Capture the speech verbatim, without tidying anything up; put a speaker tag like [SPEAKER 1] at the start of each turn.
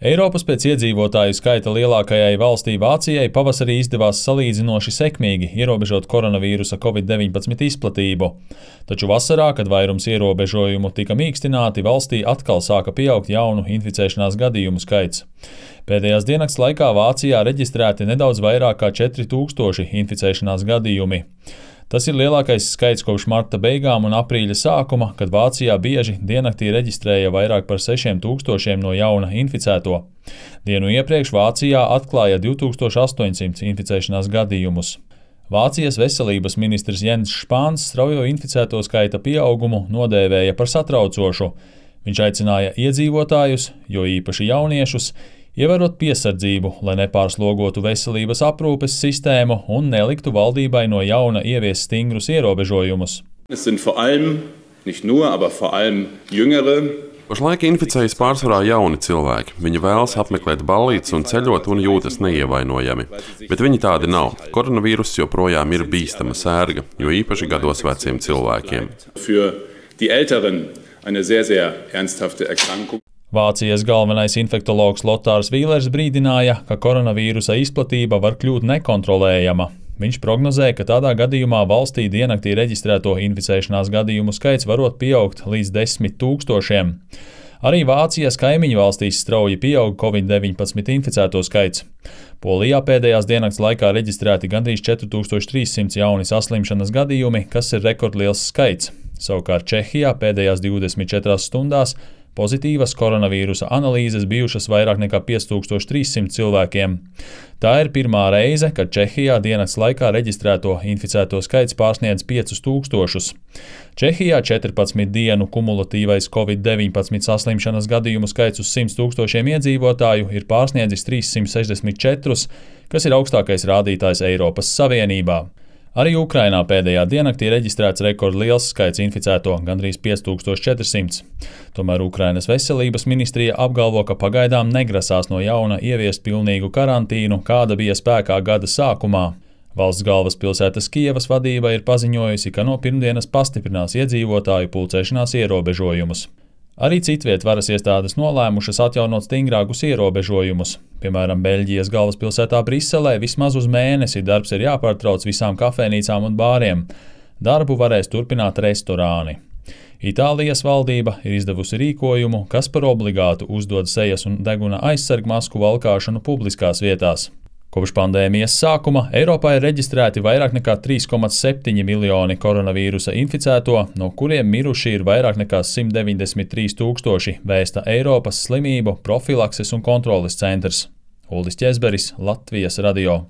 [SPEAKER 1] Eiropas pēc iedzīvotāju skaita lielākajai valstī Vācijai pavasarī izdevās salīdzinoši sekmīgi ierobežot koronavīrusa covid deviņpadsmit izplatību. Taču vasarā, kad vairums ierobežojumu tika mīkstināti, valstī atkal sāka pieaugt jaunu inficēšanās gadījumu skaits. Pēdējās diennakts laikā Vācijā reģistrēti nedaudz vairāk kā četri tūkstoši inficēšanās gadījumi. Tas ir lielākais skaits kopš marta beigām un aprīļa sākuma, kad Vācijā bieži diennaktī reģistrēja vairāk par sešiem tūkstošiem no jauna inficēto. Dienu iepriekš Vācijā atklāja divi tūkstoši astoņsimt inficēšanās gadījumus. Vācijas veselības ministrs Jens Spahns straujo inficēto skaita pieaugumu nodēvēja par satraucošu. Viņš aicināja iedzīvotājus, jo īpaši jauniešus, ievērot piesardzību, lai nepārslogotu veselības aprūpes sistēmu un neliktu valdībai no jauna ieviest stingrus ierobežojumus.
[SPEAKER 2] Es sind vor allem, nicht nur, aber vor allem jüngere.
[SPEAKER 3] Pašlaik inficējas pārsvarā jauni cilvēki. Viņi vēlas apmeklēt ballītes un ceļot un jūtas neievainojami. Bet viņi tādi nav. Koronavīruss joprojām ir bīstama sērga, jo īpaši gados veciem cilvēkiem.
[SPEAKER 2] Für die Älteren eine sehr, sehr ernsthafte Erkrankung.
[SPEAKER 1] Vācijas galvenais infektologs Lotārs Vīlers brīdināja, ka koronavīrusa izplatība var kļūt nekontrolējama. Viņš prognozēja, ka tādā gadījumā valstī diennaktī reģistrēto inficēšanās gadījumu skaits varot pieaugt līdz desmit tūkstošiem. Arī Vācijas kaimiņu valstīs strauji pieaug covid deviņpadsmit inficēto skaits. Polijā pēdējās diennakts laikā reģistrēti gandrīz četri tūkstoši trīs simti jauni saslimšanas gadījumi, kas ir rekordliels skaits. Savukārt Čehijā pēdējās divdesmit četrās stundās pozitīvas koronavīrusa analīzes bijušas vairāk nekā pieci tūkstoši trīs simti cilvēkiem. Tā ir pirmā reize, kad Čehijā diennakts laikā reģistrēto inficēto skaits pārsniedz piecus tūkstošus. Čehijā četrpadsmit dienu kumulatīvais covid deviņpadsmit saslimšanas gadījumu skaits uz simts tūkstošiem iedzīvotāju ir pārsniedzis trīssimt sešdesmit četrus, kas ir augstākais rādītājs Eiropas Savienībā. Arī Ukrainā pēdējā diennaktī reģistrēts rekordliels skaits inficēto – gandrīz pieci tūkstoši četri simti. Tomēr Ukrainas veselības ministrija apgalvo, ka pagaidām negrasās no jauna ieviest pilnīgu karantīnu, kāda bija spēkā gada sākumā. Valsts galvaspilsētas Kijevas vadība ir paziņojusi, ka no pirmdienas pastiprinās iedzīvotāju pulcēšanās ierobežojumus. Arī citviet varas iestādes nolēmušas atjaunot stingrākus ierobežojumus. Piemēram, Beļģijas galvaspilsētā Briselē vismaz uz mēnesi darbs ir jāpārtrauc visām kafejnīcām un bāriem. Darbu varēs turpināt restorāni. Itālijas valdība ir izdevusi rīkojumu, kas par obligātu uzdod sejas un deguna aizsargmasku valkāšanu publiskās vietās. Kopš pandēmijas sākuma Eiropā ir reģistrēti vairāk nekā trīs komats septiņi miljoni koronavīrusa inficēto, no kuriem miruši ir vairāk nekā simt deviņdesmit trīs tūkstoši, vēsta Eiropas slimību profilakses un kontroles centrs. Uldis Ķezberis, Latvijas radio.